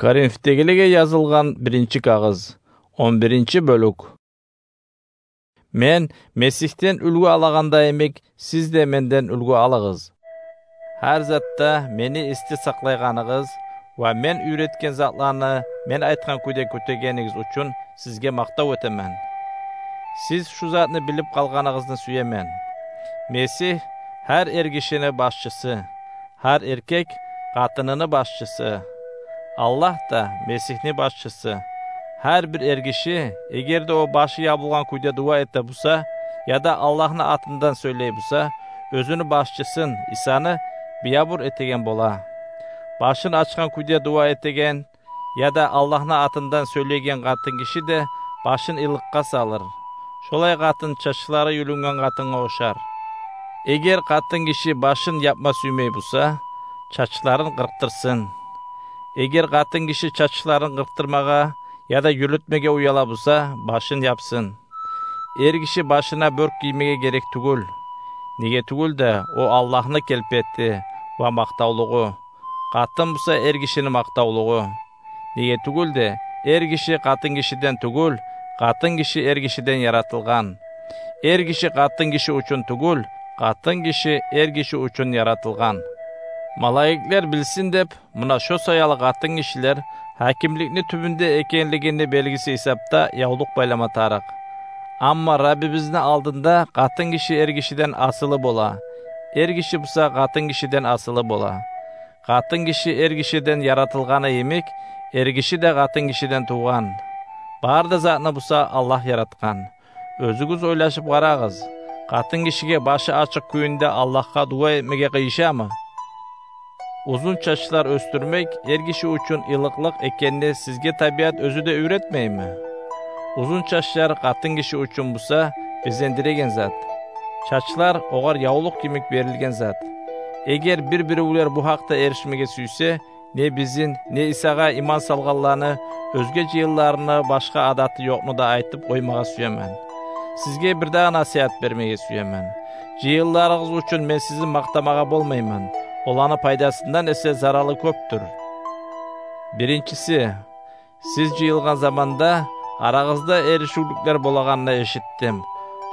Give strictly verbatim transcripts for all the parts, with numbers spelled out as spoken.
Коринфдегилеге язылгъан биринчи кагъыз, он биринчи бёлюк. Мен Месигьден уьлгю алагъанда йимик, сиз де менден уьлгю алыгъыз. Гьар затда мени эсде сакълайгъаныгъыз ва мен уьйретген затланы мен айтгъан кюйде кютегенигиз учун сизге макътав этемен. Сиз шу затны билип къалгъаныгъызны сюемен: Месигь гьар эргишини башчысы, гьар эркек къатыныны башчысы. Аллагь да Месигьни башчысы. Гьар бир эргиши, эгер де о башы ябылгъан кюйде дуа эте буса, яда Аллагьны атындан сёйлей буса, оьзюню башчысын, Исаны, биябур этеген бола. Башын ачгъан кюйде дуа этеген яда Аллагьны атындан сёйлейген къатынгиши де башын илыкъгъа салыр. Шолай къатын чачлары юлюнген къатынгъа ошар. Эгер къатынгиши башын япма сюймей буса, чачларын къыркъдырсын. Эгер къатынгиши чачларын къыркъдырмагъа яда юлютмеге уяла буса, башын япсын. Эргиши башына бёрк гиймеге герек тюгюл. Неге тюгюл де, о Аллагьны келпети ва макътавлугъу. Къатын буса эргишини макътавлугъу. Неге тюгюл де, эргиши къатынгишиден тюгюл, къатынгиши эргишиден яратылгъан. Эргиши къатынгиши учун тюгюл, къатынгиши эргиши учун яратылгъан. Малайиклер билсин деп, муна шо саялы къатынгишилер гьакимликни тюбюнде экенлигини белгиси гьисапда явлукъ байлама тарыкъ. Амма Раббибизни алдында къатынгиши эргишиден асылы бола, эргиши буса къатынгишиден асылы бола. Къатынгиши эргишиден яратылгъаны йимик, эргиши де къатынгишиден тувгъан. Бары да затны буса Аллагь яратгъан. Оьзюгюз ойлашып къарагъыз: къатынгишиге башы ачыкъ кюйюнде Аллагьгъа дуа этмеге къыйышамы? Узун чачлар оьсдюрмек эргиши учун илыкълыкъ экенни сизге табиат оьзю де уьйретмейми? Узун чачлар къатынгиши учун буса безендиреген зат. Чачлар огъар явлукъ йимик берилген зат. Эгер бир-биревлер бу гьакъда эришмеге сюйсе, не бизин, не Исагъа иман салгъанланы оьзге жыйынларыны башгъа адаты ёкъну да айтып къоймагъа сюемен. Сизге бир дагъы насигьат бермеге сюемен. Жыйынларыгъыз учун мен сизин макътамагъа болмайман. Оланы пайдасындан эсе заралы кёпдюр. Биринчиси, сиз жыйылгъан заманда арагъызда эришивлюклер болагъанны эшитдим.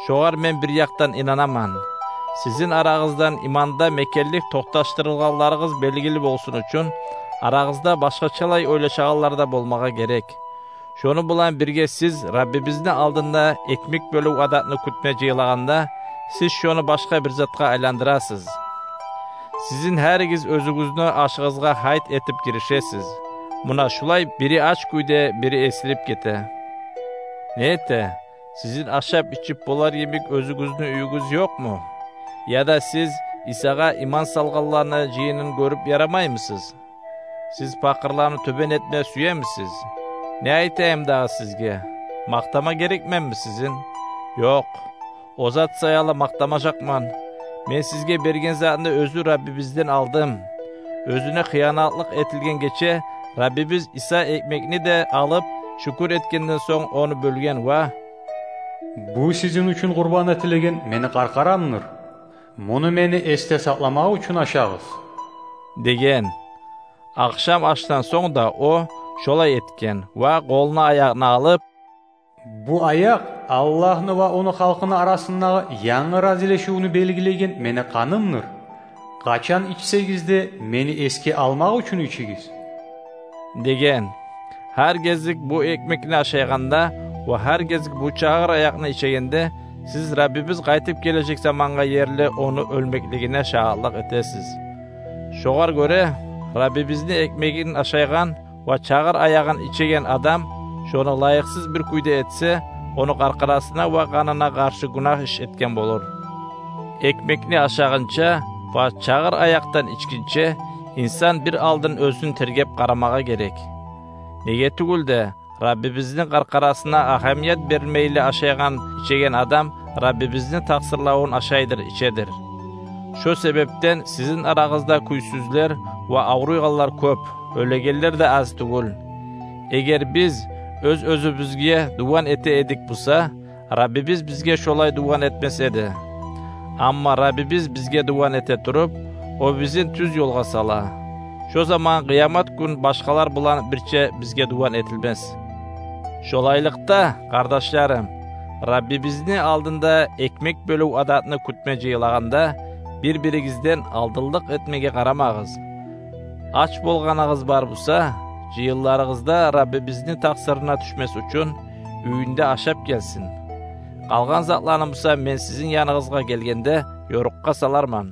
Шогъар мен бир якъдан инанаман. Сизин арагъыздан иманда мекенлик токъташдырылгъанларыгъыз белгили болсун учун, арагъызда башгъачалай ойлашагъанлар да болмагъа герек. Шону булан бирге сиз Раббибизни алдында экмек бёлюв адатны кютме жыйылагъанда, сиз шону башгъа бир затгъа айландырасыз. Сизин гьаригиз оьзюгюзню ашыгъызгъа гьайт этип гиришесиз. Муна шулай бири ач кюйде, бири эсирип гете. Не эте, сизин ашап-ичип болар йимик оьзюгюзню уьюгюз ёкъму? Яда сиз Исагъа иман салгъанланы жыйынын гёрюп ярамаймысыз? Сиз пакъырланы тёбен этме сюемисиз? Не айтайым дагъы сизге? Макътама герекменми сизин? Ёкъ. О зат саялы макътамажакъман. Мен сизге берген затны оьзю Раббибизден алдым. Оьзюне хыянатлыкъ этилген гече Раббибиз Иса экмекни де алып, шюкюр этгенден сонг, ону бёлген ва: «Бу сизин учун къурбан этилеген мени къаркъарамдыр. Муну мени эсде сакъламакъ учун ашагъыз», – деген. Ахшам ашдан сонг да о шолай этген ва къолуна аякъны алып: «Бу аякъ Аллагьны ва ону халкъыны арасындагъы янгы разилешивню белгилеген мени къанымдыр. Къачан ичсегиз де, мени эсге алмакъ учун ичигиз», – деген. Гьар гезик бу экмекни ашайгъанда ва гьар гезик бу чагъыр аякъны ичегенде, сиз Раббибиз къайтып гележек замангъа ерли ону оьлмеклигине шагьатлыкъ этесиз. Шогъар гёре, Раббибизни экмегин ашайгъан ва чагъыр аягъын ичеген адам шону лайыкъсыз бир кюйде этсе, ону къаркъарасына ва къанына къаршы гюнагь иш этген болур. Экмекни ашагъынча ва чагъыр аякъдан ичгинче инсан бир алдын оьзюн тергеп къарамагъа герек. Неге тюгюл де, Раббибизни къаркъарасына агьамият бермейли ашайгъан, ичеген адам Раббибизни такъсырлавун ашайдыр, ичедир. Шо себепден сизин арагъызда кюйсюзлер ва авруйгъанлар кёп, оьлегенлер де аз тюгюл. Эгер биз оьз-оьзюбюзге дуван эте эдик буса, Раббибиз бизге шолай дуван этмес эди. Амма Раббибиз бизге дуван эте туруп, о бизин тюз ёлгъа сала. Шо заман къыямат гюн башгъалар булан бирче бизге дуван этилмес. Шолайлыкъда, къардашларым, Раббибизни алдында экмек бёлюв адатны кютме жыйылагъанда, бир-биригизден алдынлыкъ этмеге къарамагъыз. Ач болгъаныгъыз бар буса, жыйынларыгъызда Раббибизни такъсырына тюшмес учун уьюнде ашап гелсин. Къалгъан затланы буса мен сизин яныгъызгъа гелгенде ёрукъгъа саларман.